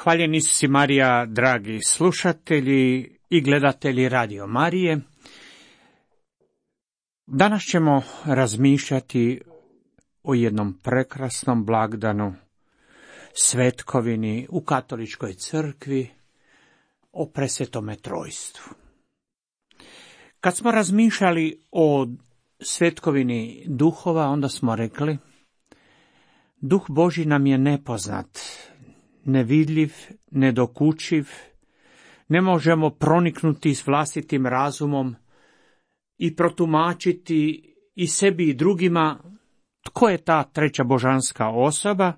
Hvaljen Isus i Marija, dragi slušatelji i gledatelji Radio Marije. Danas ćemo razmišljati o jednom prekrasnom blagdanu, svetkovini u katoličkoj crkvi, o presvetome trojstvu. Kad smo razmišljali o svetkovini duhova, onda smo rekli, Duh Božji nam je nepoznat, nevidljiv, nedokučiv, ne možemo proniknuti s vlastitim razumom i protumačiti i sebi i drugima tko je ta treća božanska osoba,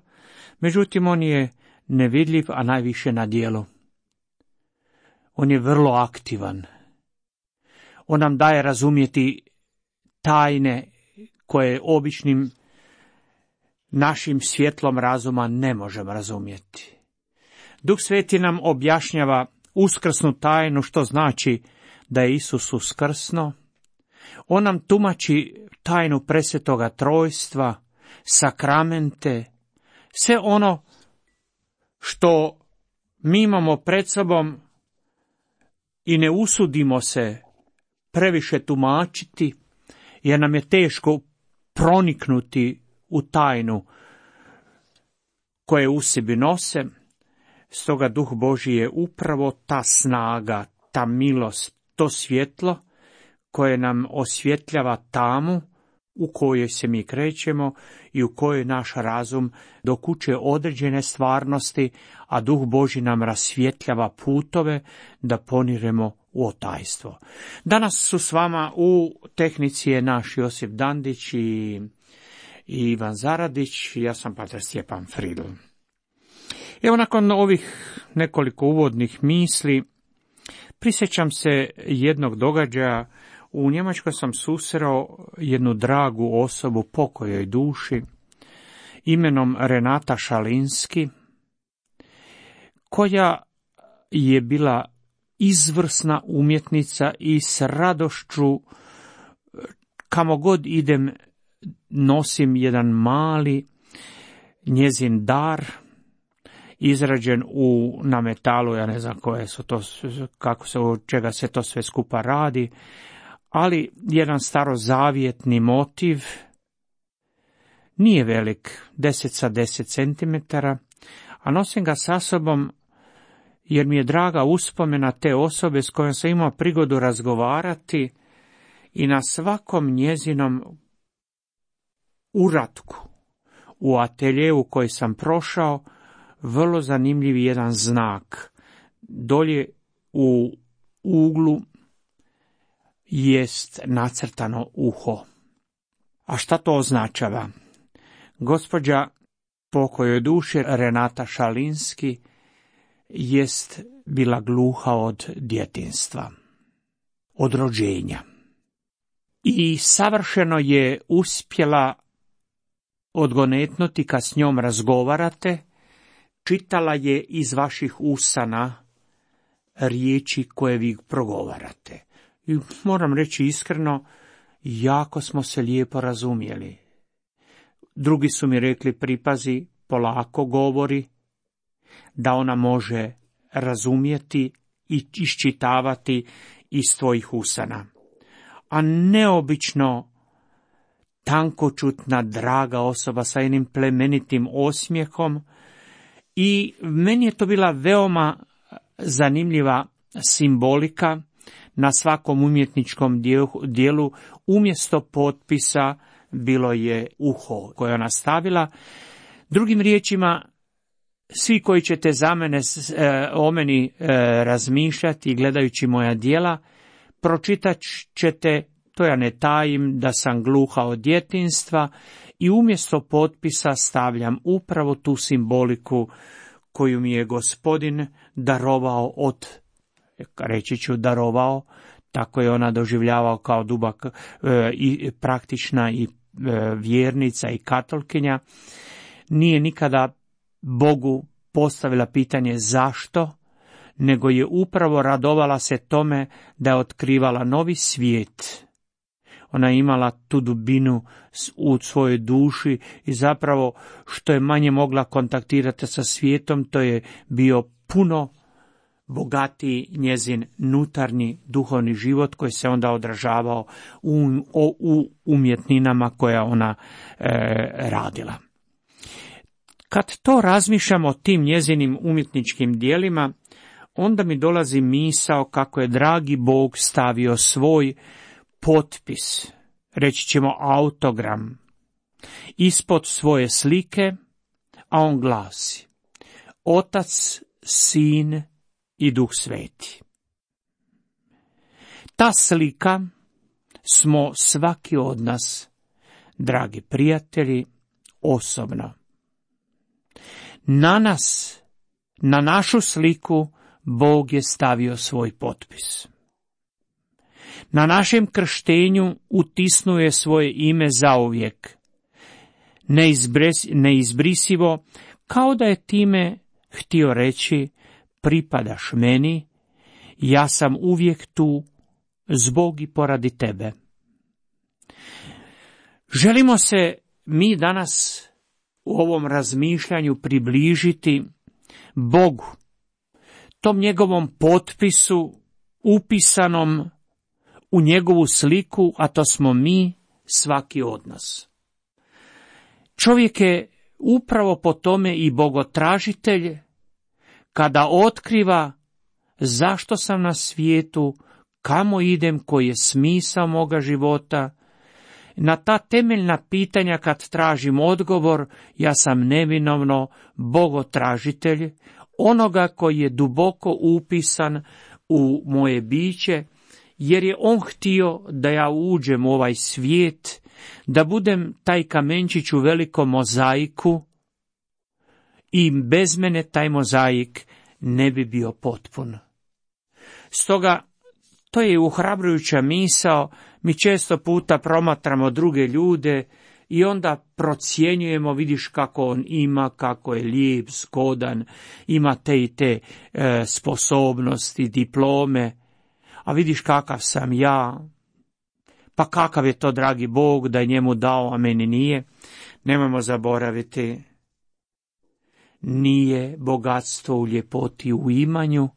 međutim on je nevidljiv, a najviše na djelu. On je vrlo aktivan. On nam daje razumjeti tajne koje običnim našim svjetlom razuma ne možemo razumjeti. Duh Sveti nam objašnjava uskrsnu tajnu, što znači da je Isus uskrsno. On nam tumači tajnu presvetoga trojstva, sakramente, sve ono što mi imamo pred sobom i ne usudimo se previše tumačiti, jer nam je teško proniknuti u tajnu koje u sebi nose. Stoga Duh Božji je upravo ta snaga, ta milost, to svjetlo koje nam osvjetljava tamu u kojoj se mi krećemo i u kojoj naš razum dokučuje određene stvarnosti, a Duh Božji nam rasvjetljava putove da poniremo u otajstvo. Danas su s vama u tehnici je naš Josip Dandić i Ivan Zaradić, ja sam pater Stjepan Fridl. Evo, nakon ovih nekoliko uvodnih misli, prisjećam se jednog događaja. U Njemačkoj sam susreo jednu dragu osobu, pokojoj duši, imenom Renata Šalinski, koja je bila izvrsna umjetnica i s radošću, kamo god idem, nosim jedan njezin dar, izrađen na metalu, ja ne znam koje su to, od čega se to sve skupa radi, ali jedan starozavjetni motiv, nije velik, 10 sa 10 centimetara, a nosim ga sa sobom jer mi je draga uspomena te osobe s kojom sam imao prigodu razgovarati i na svakom njezinom uratku u ateljeu koji sam prošao, vrlo zanimljiv jedan znak. Dolje u uglu jest nacrtano uho. A šta to označava? Gospođa, pokojoj duši, Renata Šalinski, jest bila gluha od djetinjstva, od rođenja. I savršeno je uspjela odgonetnuti kad s njom razgovarate, čitala je iz vaših usana riječi koje vi progovarate. I moram reći iskreno, jako smo se lijepo razumjeli. Drugi su mi rekli, pripazi, polako govori, da ona može razumjeti i iščitavati iz tvojih usana. A neobično tankočutna, draga osoba sa jednim plemenitim osmijehom, i meni je to bila veoma zanimljiva simbolika. Na svakom umjetničkom dijelu umjesto potpisa bilo je uho koje ona stavila. Drugim riječima, svi koji ćete za mene o meni razmišljati gledajući moja djela, pročitat ćete, to ja ne tajim, da sam gluha od djetinjstva i umjesto potpisa stavljam upravo tu simboliku koju mi je Gospodin darovao reći ću darovao, tako je ona doživljavao kao dubak i praktična i vjernica i katolkinja. Nije nikada Bogu postavila pitanje zašto, nego je upravo radovala se tome da je otkrivala novi svijet. Ona je imala tu dubinu u svojoj duši i zapravo što je manje mogla kontaktirati sa svijetom, to je bio puno bogatiji njezin unutarnji duhovni život koji se onda odražavao u umjetninama koje ona radila. Kad to razmišljamo o tim njezinim umjetničkim dijelima, onda mi dolazi misao kako je dragi Bog stavio svoj potpis, reći ćemo autogram, ispod svoje slike, a on glasi: Otac, Sin i Duh Sveti. Ta slika smo svaki od nas, dragi prijatelji, osobno. Na nas, na našu sliku, Bog je stavio svoj potpis. Na našem krštenju utisnuo je svoje ime zauvijek, neizbrisivo, kao da je time htio reći: pripadaš meni, ja sam uvijek tu zbog i poradi tebe. Želimo se mi danas u ovom razmišljanju približiti Bogu, tom njegovom potpisu upisanom u njegovu sliku, a to smo mi, svaki od nas. Čovjek je upravo po tome i bogotražitelj, kada otkriva zašto sam na svijetu, kamo idem, koji je smisao moga života. Na ta temeljna pitanja kad tražim odgovor, ja sam neminovno bogotražitelj, onoga koji je duboko upisan u moje biće, jer je on htio da ja uđem u ovaj svijet, da budem taj kamenčić u velikom mozaiku, i bez mene taj mozaik ne bi bio potpun. Stoga, to je ohrabrujuća misao. Mi često puta promatramo druge ljude i onda procjenjujemo, vidiš kako on ima, kako je lijep, zgodan, ima te i te sposobnosti, diplome, a vidiš kakav sam ja, pa kakav je to dragi Bog da je njemu dao, a meni nije. Nemojmo zaboraviti, nije bogatstvo u ljepoti u imanju,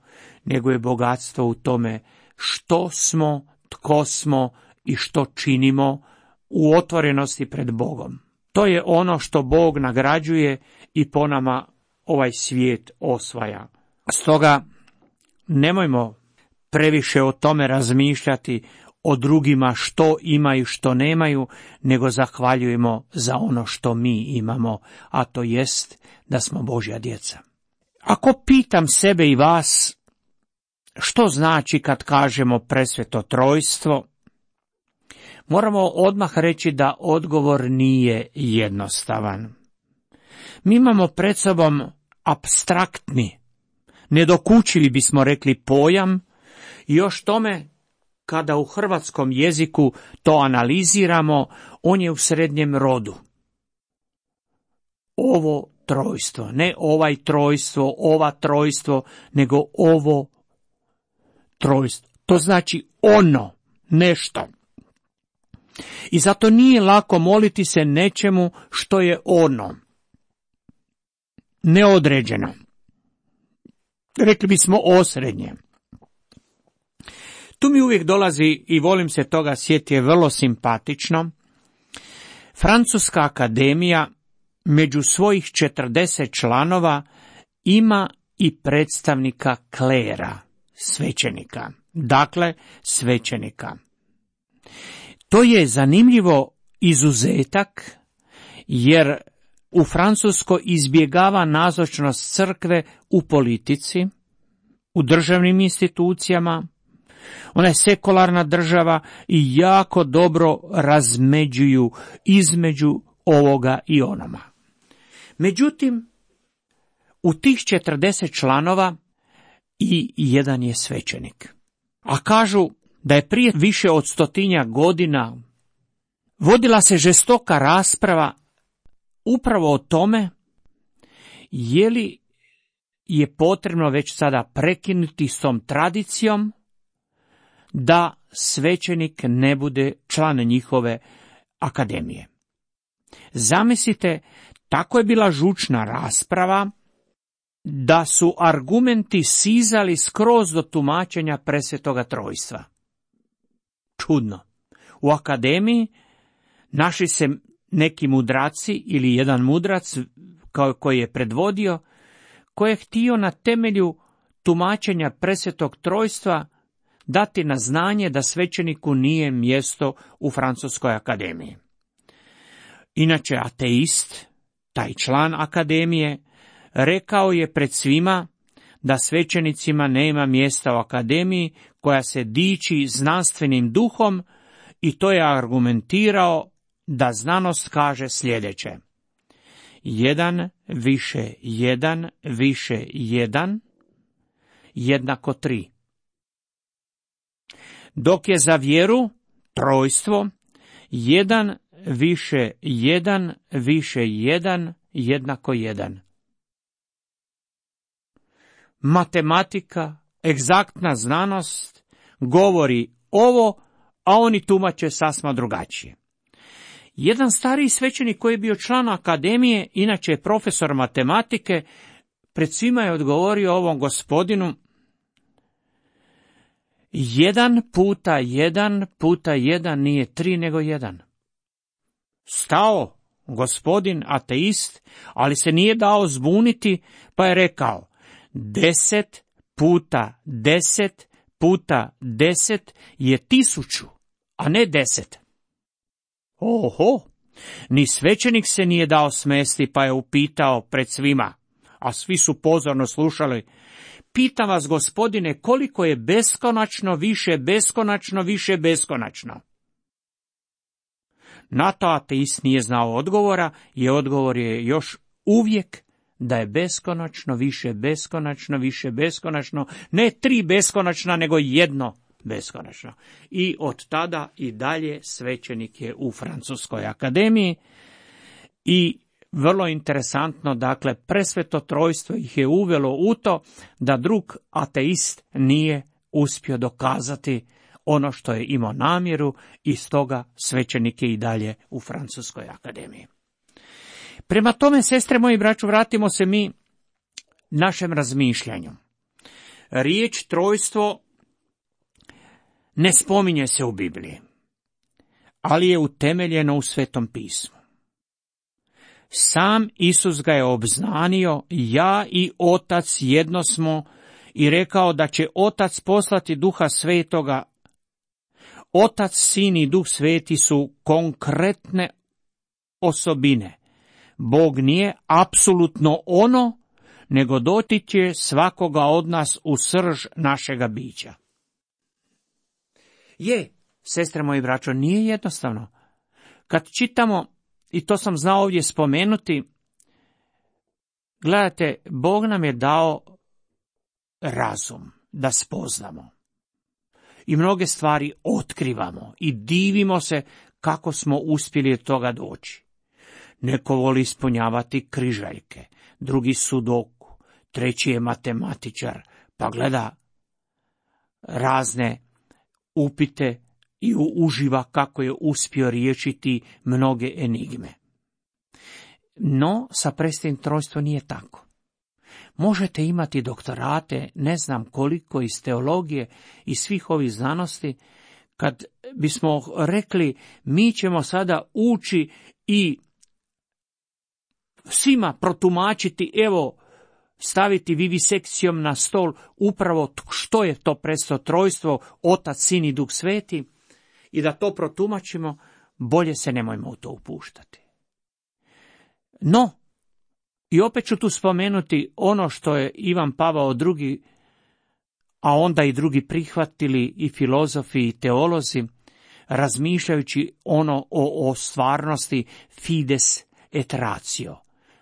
nego je bogatstvo u tome što smo, tko smo i što činimo u otvorenosti pred Bogom. To je ono što Bog nagrađuje i po nama ovaj svijet osvaja. Stoga nemojmo previše o tome razmišljati, o drugima što imaju, što nemaju, nego zahvaljujemo za ono što mi imamo, a to jest da smo Božja djeca. Ako pitam sebe i vas, što znači kad kažemo presveto trojstvo, moramo odmah reći da odgovor nije jednostavan. Mi imamo pred sobom apstraktni, nedokučivi bismo rekli pojam, i još tome, kada u hrvatskom jeziku to analiziramo, on je u srednjem rodu. Ovo trojstvo, ne ovaj trojstvo, ova trojstvo, nego ovo trojstvo. To znači ono, nešto. I zato nije lako moliti se nečemu što je ono, neodređeno. Rekli bismo osrednje. Tu mi uvijek dolazi, i volim se toga sjetiti, je vrlo simpatično. Francuska akademija među svojih 40 članova ima i predstavnika klera, svećenika. Dakle, svećenika. To je zanimljivo izuzetak, jer u Francuskoj izbjegava nazočnost crkve u politici, u državnim institucijama. Ona je sekularna država i jako dobro razmeđuju između ovoga i onoma. Međutim, u tih 40 članova i jedan je svećenik. A kažu da je prije više od 100 godina vodila se žestoka rasprava upravo o tome je li je potrebno već sada prekinuti s tom tradicijom da svećenik ne bude član njihove akademije. Zamislite, tako je bila žučna rasprava da su argumenti sizali skroz do tumačenja presvetoga trojstva. Čudno. U akademiji našli se neki mudraci ili jedan mudrac koji je predvodio, koji je htio na temelju tumačenja presvetog trojstva dati na znanje da svećeniku nije mjesto u Francuskoj akademiji. Inače, ateist, taj član akademije, rekao je pred svima da svećenicima nema mjesta u akademiji koja se diči znanstvenim duhom i to je argumentirao da znanost kaže sljedeće: 1 više 1 više 1 jednako 3. Dok je za vjeru, trojstvo, 1 više 1 više 1 jednako 1. Matematika, egzaktna znanost, govori ovo, a oni tumače sasma drugačije. Jedan stariji svećenik koji je bio član akademije, inače je profesor matematike, pred svima je odgovorio ovom gospodinu: 1 puta 1 puta 1 nije 3 nego 1. Stao gospodin ateist, ali se nije dao zbuniti, pa je rekao: 10 puta 10 puta 10 je 1000, a ne 10. Oho, ni svećenik se nije dao smesti, pa je upitao pred svima, a svi su pozorno slušali: pitam vas, gospodine, koliko je beskonačno više beskonačno više beskonačno? Na to ateist nije znao odgovora, i odgovor je još uvijek da je beskonačno više beskonačno više beskonačno, ne 3 beskonačna, nego 1 beskonačno. I od tada i dalje svećenik je u Francuskoj akademiji. I vrlo interesantno, dakle, presveto trojstvo ih je uvelo u to da drug ateist nije uspio dokazati ono što je imao namjeru, i stoga svećenik je i dalje u Francuskoj akademiji. Prema tome, sestre moji, braću, vratimo se mi našem razmišljanju. Riječ trojstvo ne spominje se u Bibliji, ali je utemeljeno u Svetom pismu. Sam Isus ga je obznanio: ja i Otac jedno smo, i rekao da će Otac poslati Duha Svetoga. Otac, Sin i Duh Sveti su konkretne osobine. Bog nije apsolutno ono, nego dotiče svakoga od nas u srž našega bića. Sestre moji, braćo, nije jednostavno. Kad čitamo, i to sam znao ovdje spomenuti, gledajte, Bog nam je dao razum da spoznamo. I mnoge stvari otkrivamo i divimo se kako smo uspjeli od toga doći. Neko voli ispunjavati križaljke, drugi sudoku, treći je matematičar, pa gleda razne upite i uživa kako je uspio riješiti mnoge enigme. No, sa presvetim trojstvom nije tako. Možete imati doktorate, ne znam koliko, iz teologije i svih ovih znanosti. Kad bismo rekli mi ćemo sada ući i svima protumačiti, evo, staviti vivisekcijom na stol upravo što je to presveto trojstvo, Otac, Sin i Duh Sveti, i da to protumačimo, bolje se nemojmo u to upuštati. No, i opet ću tu spomenuti ono što je Ivan Pavao II, a onda i drugi prihvatili, i filozofi i teolozi, razmišljajući ono o stvarnosti fides et ratio,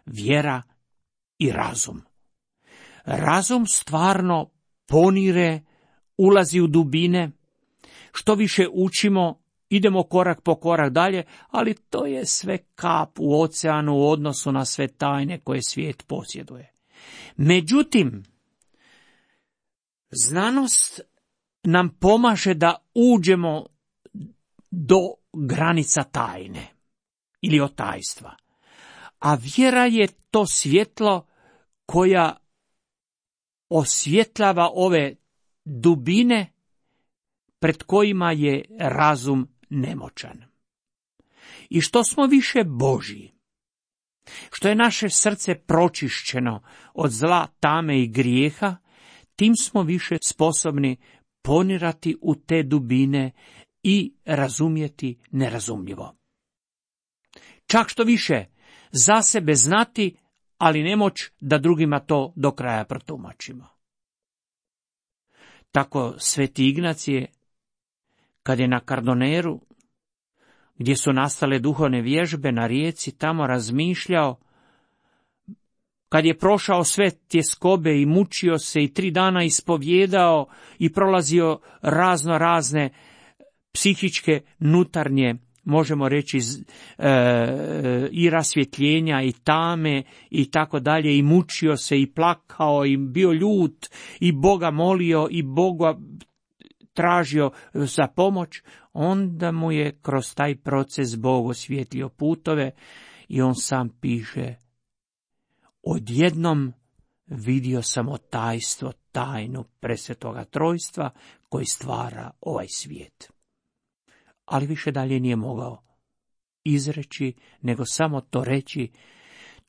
vjera i razum. Razum stvarno ponire, ulazi u dubine, što više učimo, idemo korak po korak dalje, ali to je sve kap u oceanu u odnosu na sve tajne koje svijet posjeduje. Međutim, znanost nam pomaže da uđemo do granica tajne ili otajstva. A vjera je to svjetlo koja osvjetljava ove dubine pred kojima je razum nemoćan. I što smo više Božji, što je naše srce pročišćeno od zla, tame i grijeha, tim smo više sposobni ponirati u te dubine i razumjeti nerazumljivo. Čak što više, za sebe znati, ali nemoć da drugima to do kraja protumačimo. Tako Sveti Ignacije, kad je na Kardoneru, gdje su nastale duhovne vježbe na rijeci, tamo razmišljao, kad je prošao sve tjeskobe i mučio se i 3 dana ispovjedao i prolazio razne psihičke, nutarnje, možemo reći, i rasvjetljenja i tame i tako dalje, i mučio se i plakao i bio ljut i Boga molio i Boga tražio za pomoć, onda mu je kroz taj proces Bog osvijetlio putove i on sam piše: odjednom vidio sam tajstvo, tajnu presvetoga trojstva koji stvara ovaj svijet. Ali više dalje nije mogao izreći, nego samo to reći.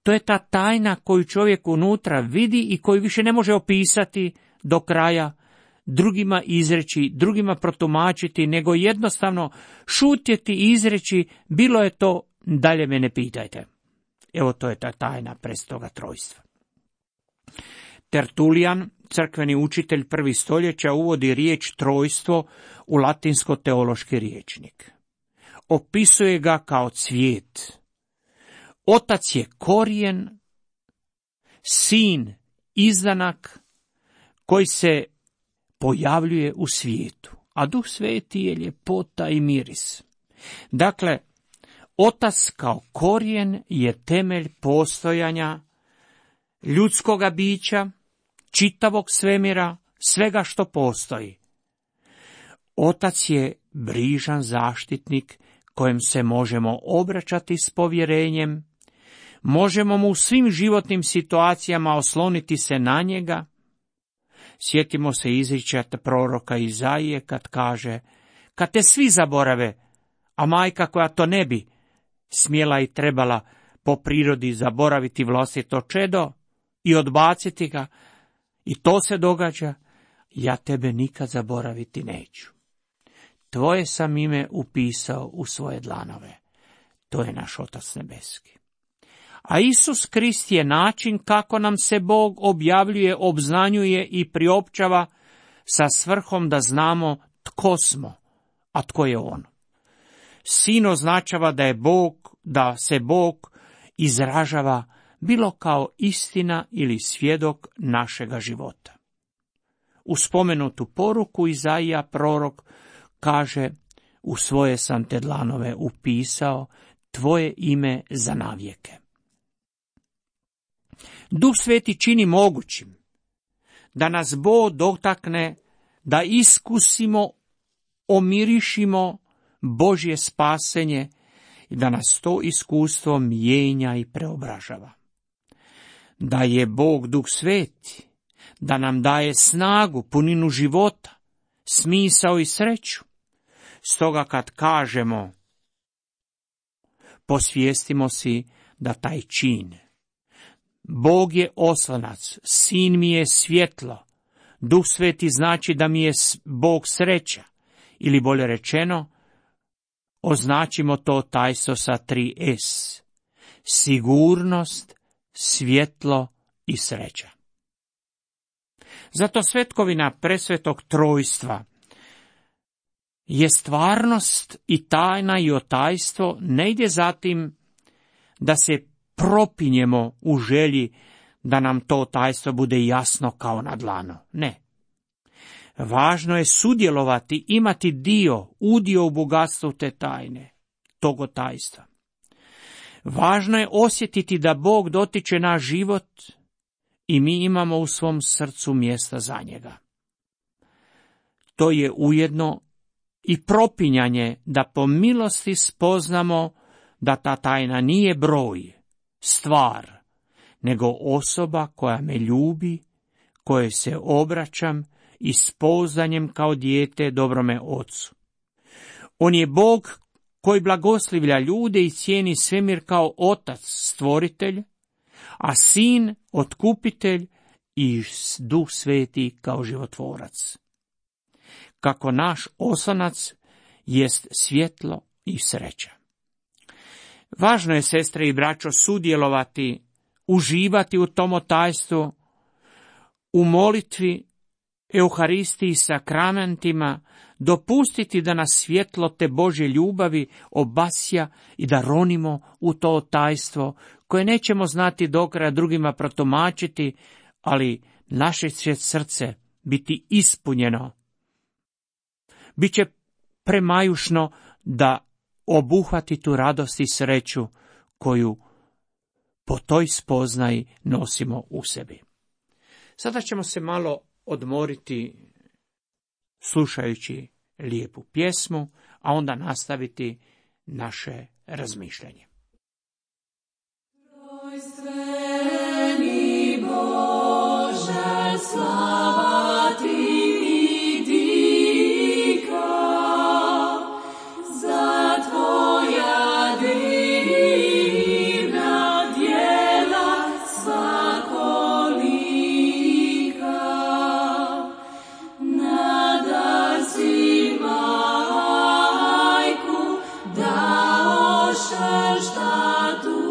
To je ta tajna koju čovjek unutra vidi i koju više ne može opisati do kraja, drugima izreći, drugima protumačiti, nego jednostavno šutjeti i izreći: bilo je to, dalje me ne pitajte. Evo, to je ta tajna presvetoga trojstva. Tertulijan, crkveni učitelj 1. stoljeća, uvodi riječ trojstvo u latinsko-teološki rječnik. Opisuje ga kao cvijet. Otac je korijen, sin izdanak koji se pojavljuje u svijetu, a Duh Sveti je ljepota i miris. Dakle, Otac kao korijen je temelj postojanja ljudskoga bića, čitavog svemira, svega što postoji. Otac je brižan zaštitnik kojem se možemo obraćati s povjerenjem, možemo mu u svim životnim situacijama osloniti se na njega. Sjetimo se izričaja proroka Izaije kad kaže: kad te svi zaborave, a majka koja to ne bi smjela i trebala po prirodi zaboraviti vlastito čedo i odbaciti ga, i to se događa, ja tebe nikad zaboraviti neću. Tvoje sam ime upisao u svoje dlanove. To je naš Otac nebeski. A Isus Krist je način kako nam se Bog objavljuje, obznanjuje i priopćava sa svrhom da znamo tko smo, a tko je On. Sin označava da se Bog izražava bilo kao istina ili svjedok našega života. U spomenutu poruku Izaija prorok kaže: u svoje sam te dlanove upisao, tvoje ime za navijeke. Duh Sveti čini mogućim da nas Bog dotakne, da iskusimo, omirišimo Božje spasenje i da nas to iskustvo mijenja i preobražava. Da je Bog Duh Sveti, da nam daje snagu, puninu života, smisao i sreću. Stoga kad kažemo, posvijestimo si da taj čin: Bog je oslonac, sin mi je svjetlo, Duh Sveti znači da mi je Bog sreća, ili bolje rečeno, označimo to tajstvo sa 3 S: sigurnost, svjetlo i sreća. Zato svetkovina presvetog trojstva je stvarnost i tajna i otajstvo, ne ide za tim da se propinjemo u želji da nam to tajstvo bude jasno kao na dlanu. Ne. Važno je sudjelovati, imati udio u bogatstvu te tajne, toga tajstva. Važno je osjetiti da Bog dotiče naš život i mi imamo u svom srcu mjesta za njega. To je ujedno i propinjanje da po milosti spoznamo da ta tajna nije broj, stvar, nego osoba koja me ljubi, koje se obraćam i s pouzdanjem kao dijete dobrome ocu. On je Bog koji blagoslivlja ljude i cijeni svemir kao otac stvoritelj, a sin otkupitelj i Duh Sveti kao životvorac. Kako naš oslonac jest svjetlo i sreća. Važno je, sestre i braćo, sudjelovati, uživati u tom tajstvu, u molitvi, Euharistiji i sakramentima, dopustiti da nas svjetlo te Božje ljubavi obasja i da ronimo u to tajstvo, koje nećemo znati do kraja drugima protumačiti, ali naše će srce biti ispunjeno. Biće premajušno da obuhvati tu radost i sreću koju po toj spoznaji nosimo u sebi. Sada ćemo se malo odmoriti slušajući lijepu pjesmu, a onda nastaviti naše razmišljanje. Trojstveni Bože, slava ti i dika, za tvoja divna djela svakolika. Nadar si majku daoše šta tu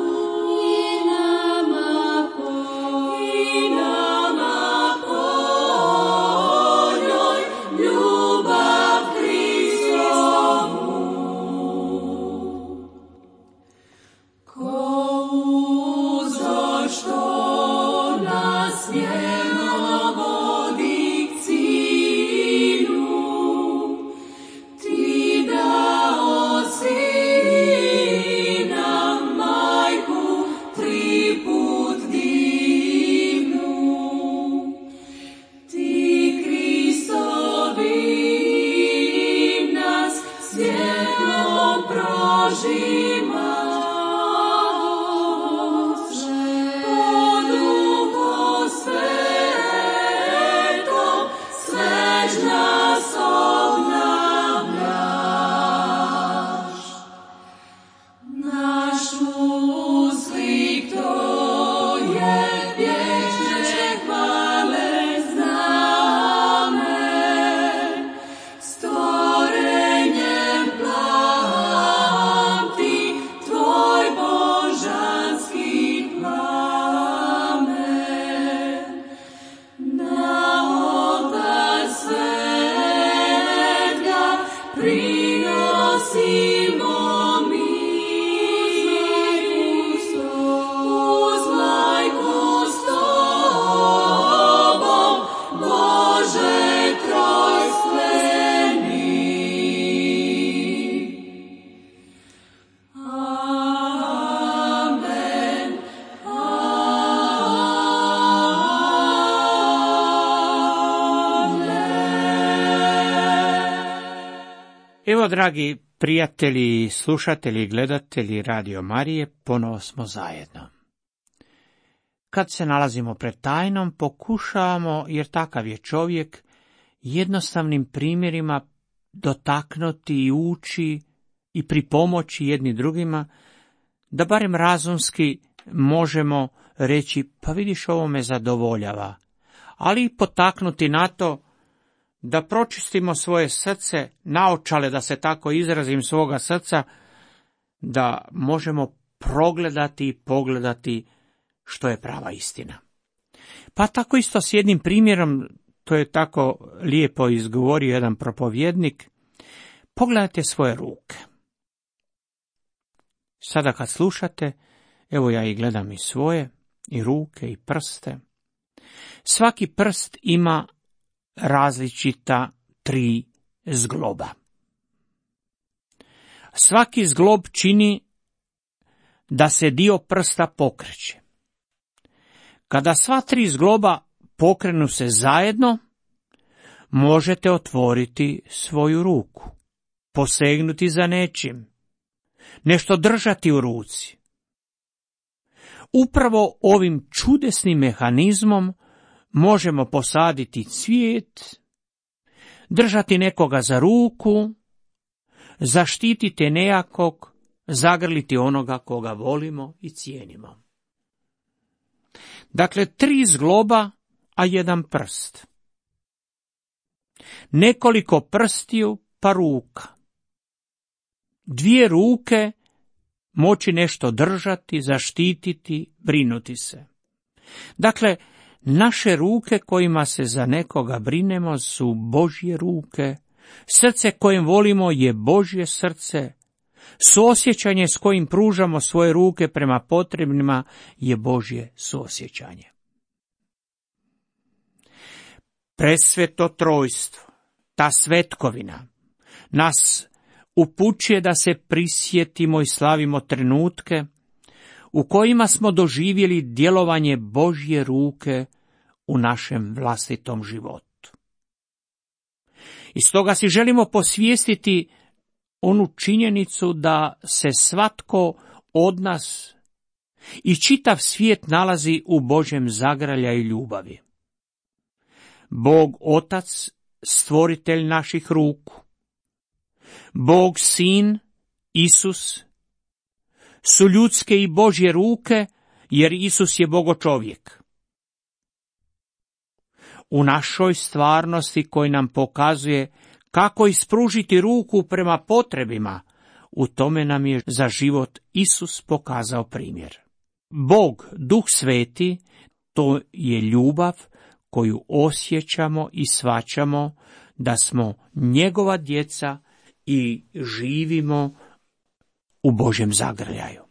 Evo, dragi prijatelji, slušatelji i gledatelji Radio Marije, ponovo smo zajedno. Kad se nalazimo pred tajnom, pokušavamo, jer takav je čovjek, jednostavnim primjerima dotaknuti i ući i pripomoći jedni drugima, da barem razumski možemo reći, pa vidiš, ovo me zadovoljava, ali i potaknuti na to da pročistimo svoje srce, naočale, da se tako izrazim, svoga srca, da možemo progledati i pogledati što je prava istina. Pa tako isto s jednim primjerom, to je tako lijepo izgovorio jedan propovjednik, pogledajte svoje ruke. Sada kad slušate, evo ja i gledam i svoje, i ruke, i prste. Svaki prst ima različita 3 zgloba. Svaki zglob čini da se dio prsta pokreće. Kada sva 3 zgloba pokrenu se zajedno, možete otvoriti svoju ruku, posegnuti za nečim, nešto držati u ruci. Upravo ovim čudesnim mehanizmom možemo posaditi cvijet, držati nekoga za ruku, zaštititi nejakog, zagrliti onoga koga volimo i cijenimo. Dakle, 3 zgloba, a 1 prst. Nekoliko prstiju, pa ruka. 2 ruke moći nešto držati, zaštititi, brinuti se. Dakle, naše ruke kojima se za nekoga brinemo su Božje ruke, srce kojim volimo je Božje srce, suosjećanje s kojim pružamo svoje ruke prema potrebnima je Božje suosjećanje. Presveto trojstvo, ta svetkovina, nas upućuje da se prisjetimo i slavimo trenutke u kojima smo doživjeli djelovanje Božje ruke u našem vlastitom životu. I stoga si želimo posvijestiti onu činjenicu da se svatko od nas i čitav svijet nalazi u Božjem zagrljaju i ljubavi. Bog Otac, stvoritelj naših ruku, Bog Sin, Isus, su ljudske i Božje ruke, jer Isus je Bogo čovjek. U našoj stvarnosti koji nam pokazuje kako ispružiti ruku prema potrebima, u tome nam je za život Isus pokazao primjer. Bog, Duh Sveti, to je ljubav koju osjećamo i shvaćamo da smo njegova djeca i živimo u Božjem zagrljaju.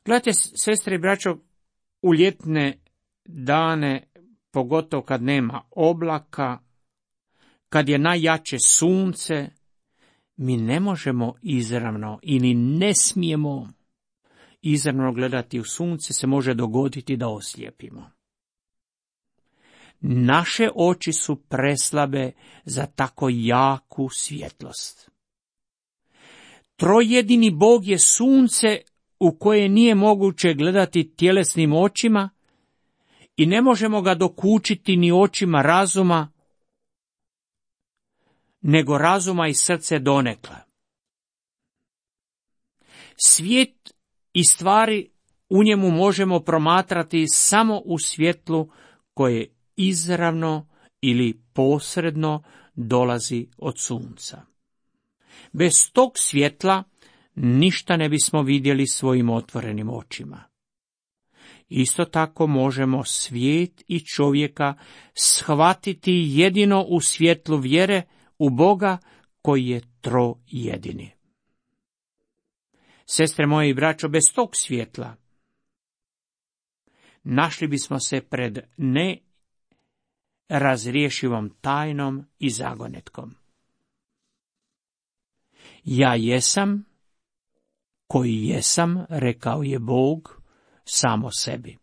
Gledajte, sestre i braćo, u ljetne dane, pogotovo kad nema oblaka, kad je najjače sunce, mi ne možemo izravno ili ne smijemo izravno gledati u sunce, se može dogoditi da oslijepimo. Naše oči su preslabe za tako jaku svjetlost. Trojedini Bog je sunce u koje nije moguće gledati tjelesnim očima i ne možemo ga dokučiti ni očima razuma, nego razuma i srce donekle. Svijet i stvari u njemu možemo promatrati samo u svjetlu koje izravno ili posredno dolazi od sunca. Bez tog svjetla ništa ne bismo vidjeli svojim otvorenim očima. Isto tako možemo svijet i čovjeka shvatiti jedino u svjetlu vjere u Boga koji je trojedini. Sestre moje i braćo, bez tog svjetla našli bismo se pred nerazriješivom tajnom i zagonetkom. Ja jesam koji jesam, rekao je Bog samo sebi.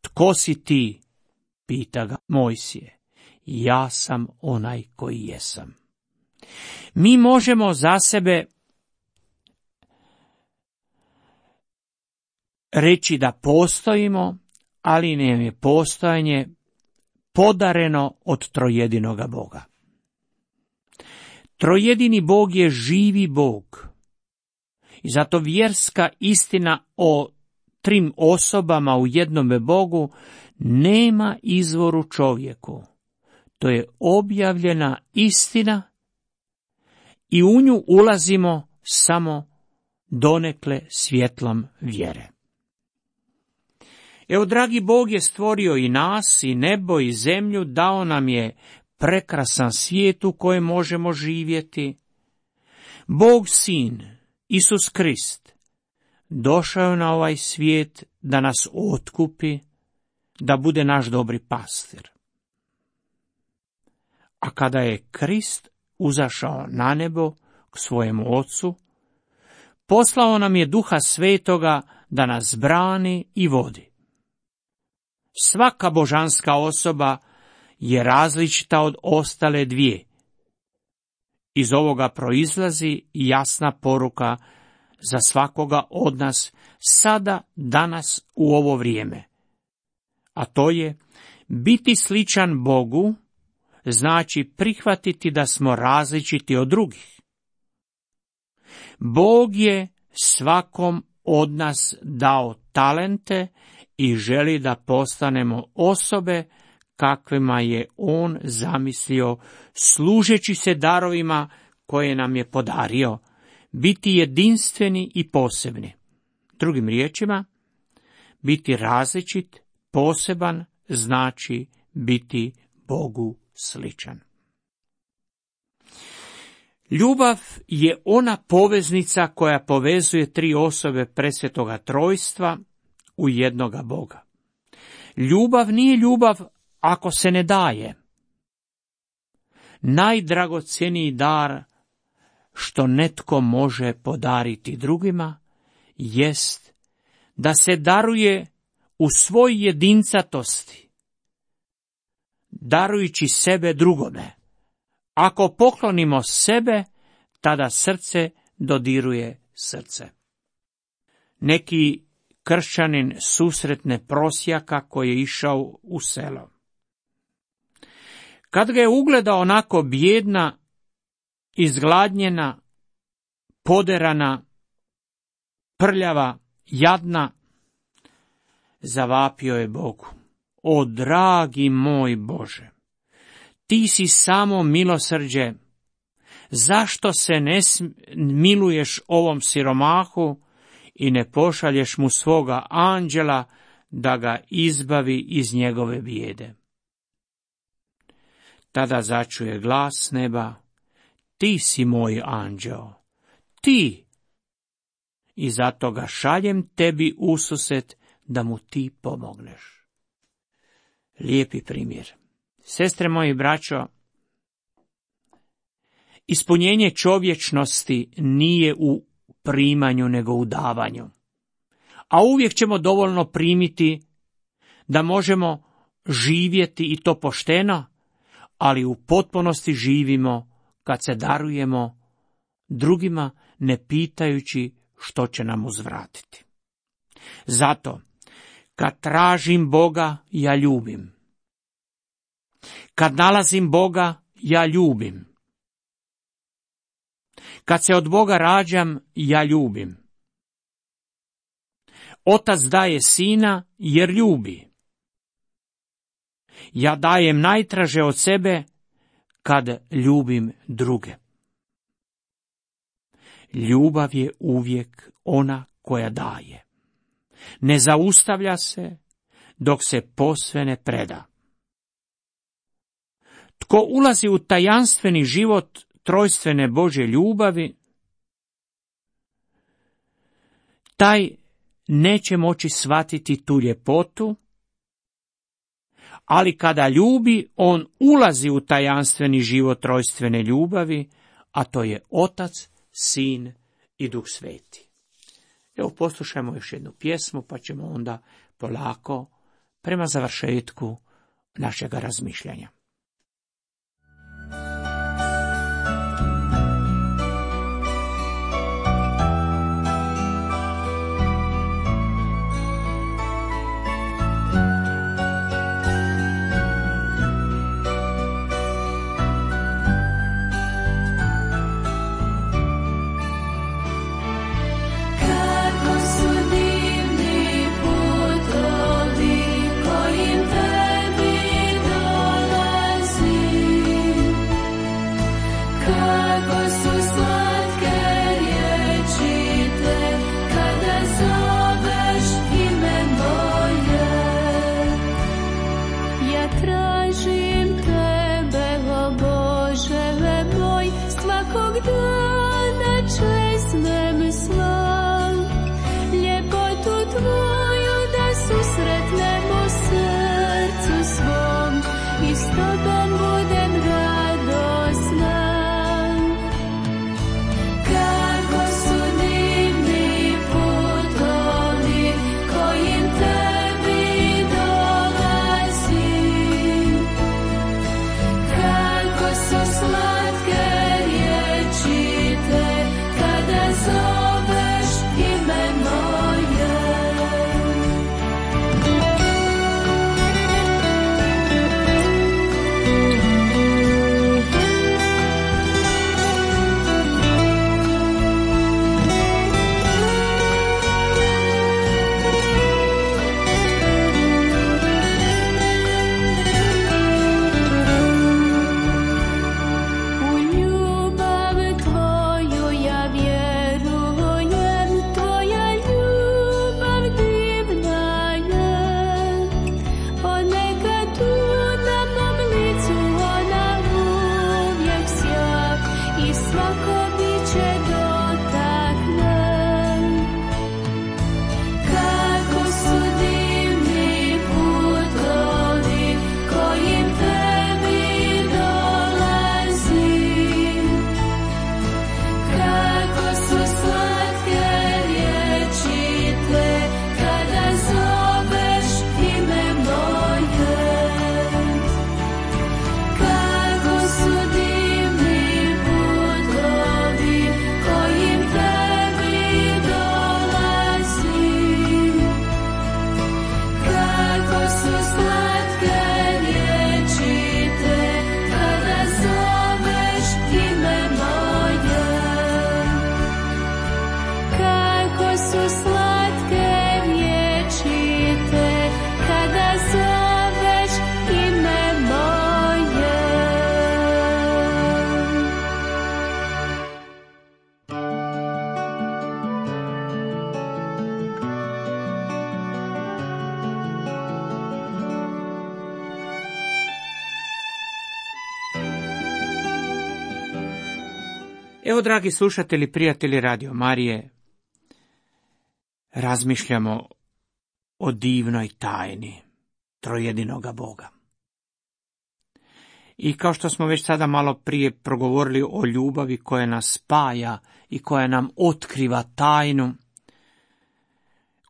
Tko si ti? Pita ga Mojsije. Ja sam onaj koji jesam. Mi možemo za sebe reći da postojimo, ali nam je postojanje podareno od trojedinoga Boga. Trojedini Bog je živi Bog. I zato vjerska istina o 3 osobama u jednome Bogu nema izvoru čovjeku. To je objavljena istina i u nju ulazimo samo donekle svjetlom vjere. Evo, dragi Bog je stvorio i nas, i nebo, i zemlju, dao nam je prekrasan svijet u kojem možemo živjeti. Bog Sin, Isus Krist, došao je na ovaj svijet da nas otkupi, da bude naš dobri pastir. A kada je Krist uzašao na nebo k svojemu Ocu, poslao nam je Duha Svetoga da nas brani i vodi. Svaka božanska osoba je različita od ostale 2. Iz ovoga proizlazi jasna poruka za svakoga od nas sada, danas, u ovo vrijeme. A to je, Biti sličan Bogu znači prihvatiti da smo različiti od drugih. Bog je svakom od nas dao talente i želi da postanemo osobe kakvima je on zamislio, služeći se darovima koje nam je podario, biti jedinstveni i posebni. Drugim riječima, biti različit, poseban, znači biti Bogu sličan. Ljubav je ona poveznica koja povezuje tri osobe presvetoga trojstva u jednoga Boga. Ljubav nije ljubav ako se ne daje. Najdragocjeniji dar što netko može podariti drugima jest da se daruje u svoj jedincatosti, darujući sebe drugome. Ako poklonimo sebe, tada srce dodiruje srce. Neki kršćanin susretne prosjaka koji je išao u selo. Kad ga je ugledao onako bijedna, izgladnjena, poderana, prljava, jadna, zavapio je Bogu: o dragi moj Bože, ti si samo milosrđe, zašto se ne miluješ ovom siromahu i ne pošalješ mu svoga anđela da ga izbavi iz njegove bijede? Tada začuje glas s neba: ti si moj anđeo, ti, i zato ga šaljem tebi ususret da mu ti pomogneš. Lijepi primjer. Sestre moji i braćo, ispunjenje čovječnosti nije u primanju nego u davanju. A uvijek ćemo dovoljno primiti da možemo živjeti i to pošteno, ali u potpunosti živimo kad se darujemo drugima ne pitajući što će nam uzvratiti. Zato, kad tražim Boga, ja ljubim. Kad nalazim Boga, ja ljubim. Kad se od Boga rađam, ja ljubim. Otac daje sina jer ljubi. Ja dajem najtraže od sebe kad ljubim druge. Ljubav je uvijek ona koja daje. Ne zaustavlja se dok se posve ne preda. Tko ulazi u tajanstveni život trojstvene Božje ljubavi, taj neće moći shvatiti tu ljepotu, ali kada ljubi, on ulazi u tajanstveni život trojstvene ljubavi, a to je Otac, Sin i Duh Sveti. Evo, poslušajmo još jednu pjesmu, pa ćemo onda polako prema završetku našega razmišljanja. Kojim tebi dolaze Evo, dragi slušatelji, prijatelji Radio Marije, razmišljamo o divnoj tajni trojedinoga Boga. I kao što smo već sada malo prije progovorili o ljubavi koja nas spaja i koja nam otkriva tajnu,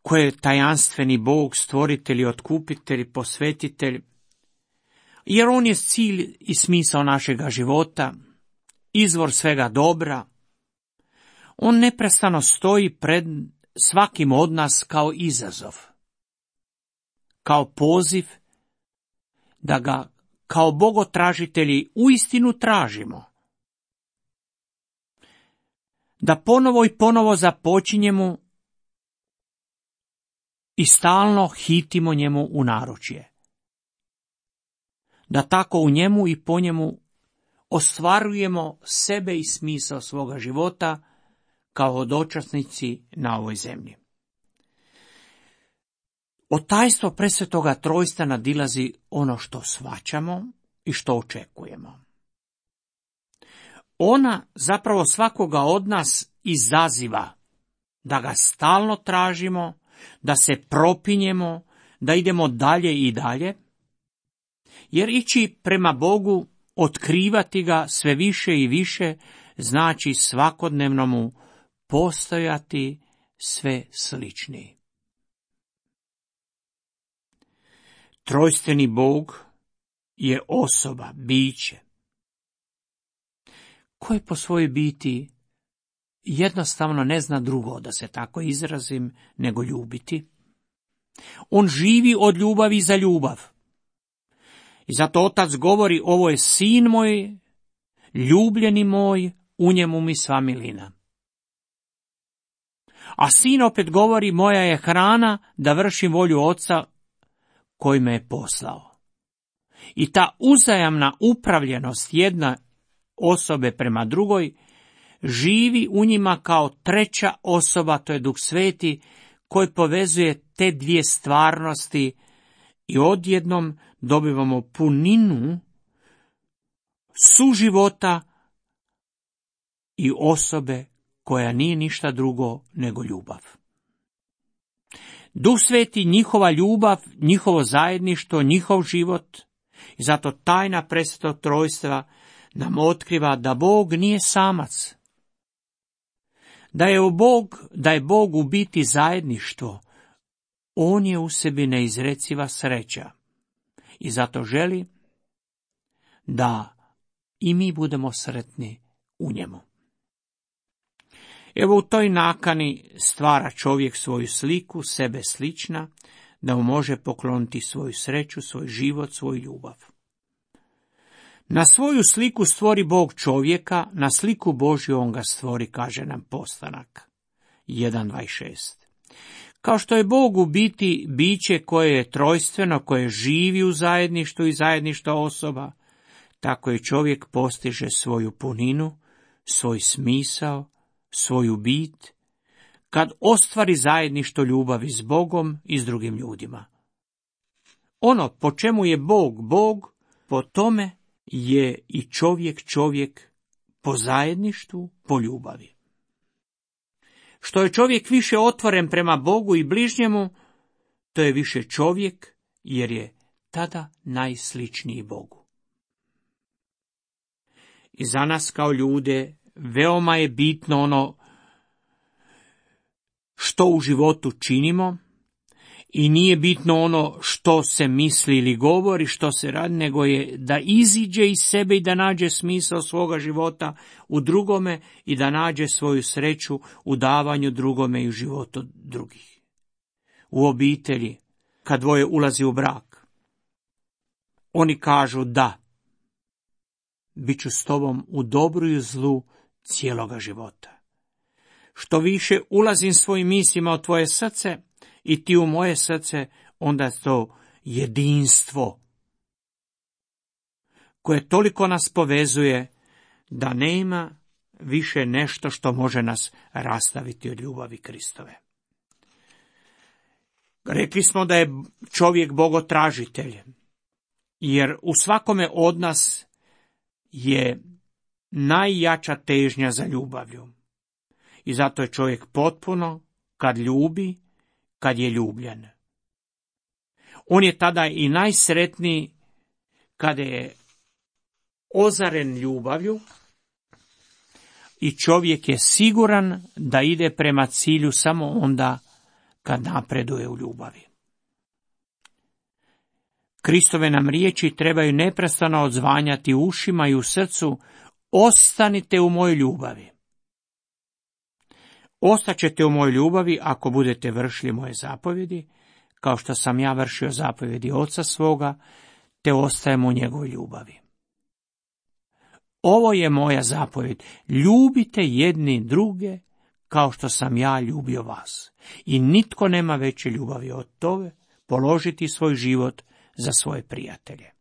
koje je tajanstveni Bog, stvoritelj, otkupitelj, posvetitelj, jer on je cilj i smisao našega života, izvor svega dobra. On neprestano stoji pred svakim od nas kao izazov, kao poziv da ga kao bogotražitelji uistinu tražimo, da ponovo i ponovo započinjemo i stalno hitimo njemu u naručje, da tako u njemu i po njemu ostvarujemo sebe i smisao svoga života kao hodočasnici na ovoj zemlji. Od tajstva presvetoga trojstva nadilazi ono što shvaćamo i što očekujemo. Ona zapravo svakoga od nas izaziva da ga stalno tražimo, da se propinjemo, da idemo dalje i dalje, jer ići prema Bogu, otkrivati ga sve više i više, znači svakodnevno mu postojati sve sličniji. Trojstveni Bog je osoba, biće, koje po svojoj biti jednostavno ne zna drugo, da se tako izrazim, nego ljubiti. On živi od ljubavi za ljubav. I zato Otac govori, ovo je sin moj, ljubljeni moj, u njemu mi sva milina. A sin opet govori, moja je hrana da vršim volju Oca koji me je poslao. I ta uzajamna upravljenost jedna osobe prema drugoj živi u njima kao treća osoba, to je Duh Sveti, koji povezuje te dvije stvarnosti i odjednom dobivamo puninu suživota i osobe koja nije ništa drugo nego ljubav. Duh Sveti, njihova ljubav, njihovo zajedništvo, njihov život, i zato tajna presvetog trojstva nam otkriva da Bog nije samac, da je Bog u biti zajedništvo. On je u sebi neizreciva sreća i zato želi da i mi budemo sretni u njemu. Evo, u toj nakani stvara čovjek svoju sliku, sebe slična, da mu može pokloniti svoju sreću, svoj život, svoju ljubav. Na svoju sliku stvori Bog čovjeka, na sliku Božju on ga stvori, kaže nam Postanak 1.26. Kao što je Bog u biti biće koje je trojstveno, koje živi u zajedništvu i zajedništvo osoba, tako je čovjek postiže svoju puninu, svoj smisao, svoju bit, kad ostvari zajedništvo ljubavi s Bogom i s drugim ljudima. Ono po čemu je Bog Bog, po tome je i čovjek po zajedništvu, po ljubavi. Što je čovjek više otvoren prema Bogu i bližnjemu, to je više čovjek, jer je tada najsličniji Bogu. I za nas kao ljude veoma je bitno ono što u životu činimo, i nije bitno ono što se misli ili govori, što se radi, nego je da iziđe iz sebe i da nađe smisao svoga života u drugome i da nađe svoju sreću u davanju drugome i u životu drugih. U obitelji, kad dvoje ulazi u brak, oni kažu da, bit ću s tobom u dobru i u zlu cijeloga života. Što više ulazim svojim mislima u tvoje srce i ti u moje srce, onda je to jedinstvo koje toliko nas povezuje da nema više nešto što može nas rastaviti od ljubavi Kristove. Rekli smo da je čovjek bogotražitelj, jer u svakome od nas je najjača težnja za ljubavlju. I zato je čovjek potpuno kad ljubi, kad je ljubljen. On je tada i najsretniji kada je ozaren ljubavlju i čovjek je siguran da ide prema cilju samo onda kad napreduje u ljubavi. Kristove nam riječi trebaju neprestano odzvanjati u ušima i u srcu: ostanite u mojoj ljubavi. Ostaćete u mojoj ljubavi ako budete vršili moje zapovjedi, kao što sam ja vršio zapovjedi Oca svoga, te ostajem u njegovoj ljubavi. Ovo je moja zapovjed: ljubite jedni druge kao što sam ja ljubio vas. I nitko nema veće ljubavi od toga položiti svoj život za svoje prijatelje.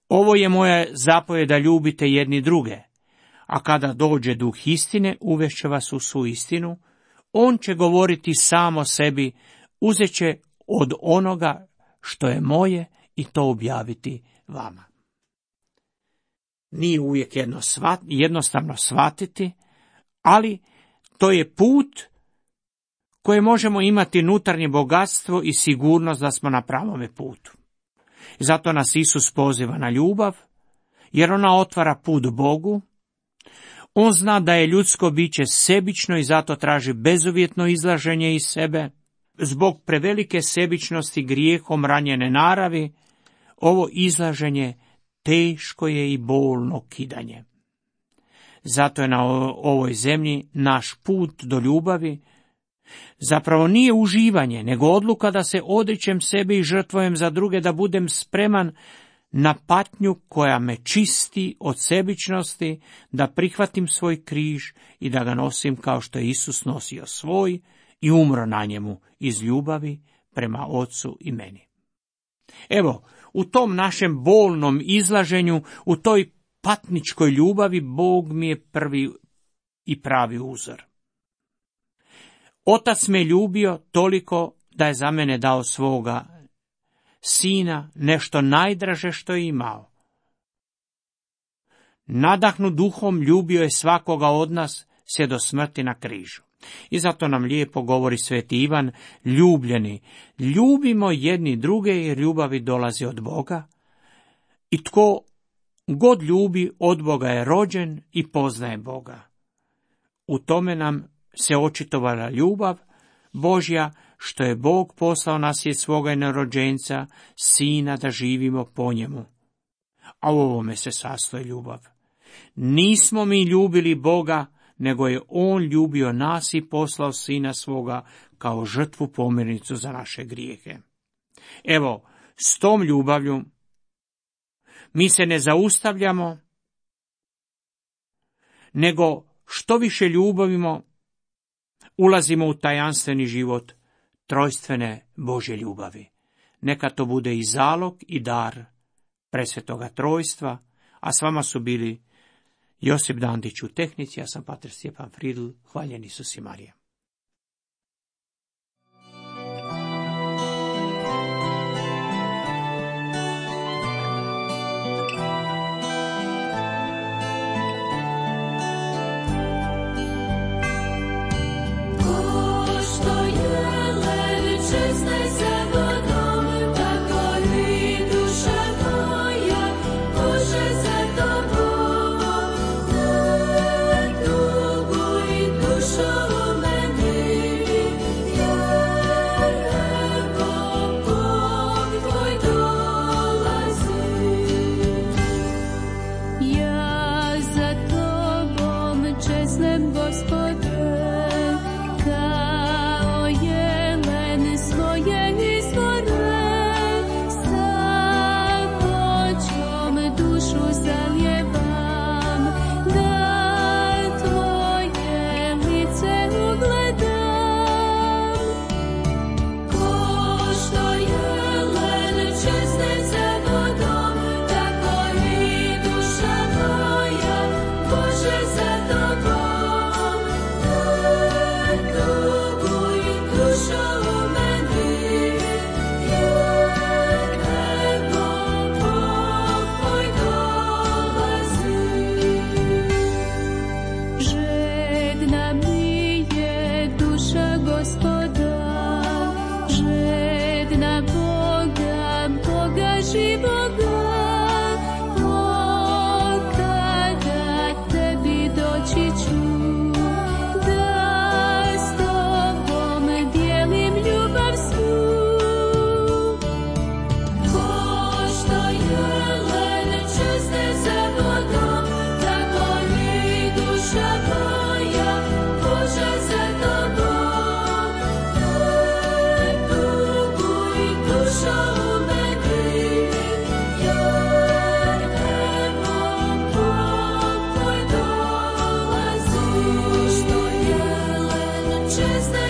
Ovo je moja zapovjed da ljubite jedni druge, a kada dođe duh istine, uvešće vas u svu istinu, on će govoriti sam o sebi, uzet će od onoga što je moje i to objaviti vama. Nije uvijek jednostavno shvatiti, ali to je put koje možemo imati unutarnje bogatstvo i sigurnost da smo na pravome putu. Zato nas Isus poziva na ljubav, jer ona otvara put Bogu. On zna da je ljudsko biće sebično i zato traži bezuvjetno izlaženje iz sebe. Zbog prevelike sebičnosti grijehom ranjene naravi, ovo izlaženje teško je i bolno kidanje. Zato je na ovoj zemlji naš put do ljubavi zapravo nije uživanje, nego odluka da se odričem sebe i žrtvujem za druge, da budem spreman na patnju koja me čisti od sebičnosti, da prihvatim svoj križ i da ga nosim kao što je Isus nosio svoj i umro na njemu iz ljubavi prema Ocu i meni. Evo, u tom našem bolnom izlaženju, u toj patničkoj ljubavi, Bog mi je prvi i pravi uzor. Otac me ljubio toliko da je za mene dao svoga sina, nešto najdraže što je imao. Nadahnut duhom ljubio je svakoga od nas sve do smrti na križu. I zato nam lijepo govori sveti Ivan: ljubljeni, ljubimo jedni druge jer ljubavi dolazi od Boga. I tko god ljubi od Boga je rođen i poznaje Boga. U tome nam se očitovala ljubav Božja, što je Bog poslao na svijet svoga jednorođenca, sina, da živimo po njemu. A u ovome se sastoji ljubav. Nismo mi ljubili Boga, nego je on ljubio nas i poslao sina svoga kao žrtvu pomirnicu za naše grijehe. Evo, s tom ljubavlju mi se ne zaustavljamo, nego što više ljubavimo, ulazimo u tajanstveni život trojstvene Božje ljubavi. Neka to bude i zalog i dar presvetoga trojstva, a s vama su bili Josip Dandić u tehnici, ja sam pater Stjepan Fridl, hvaljen Isus i Marija. kao što jelen čezne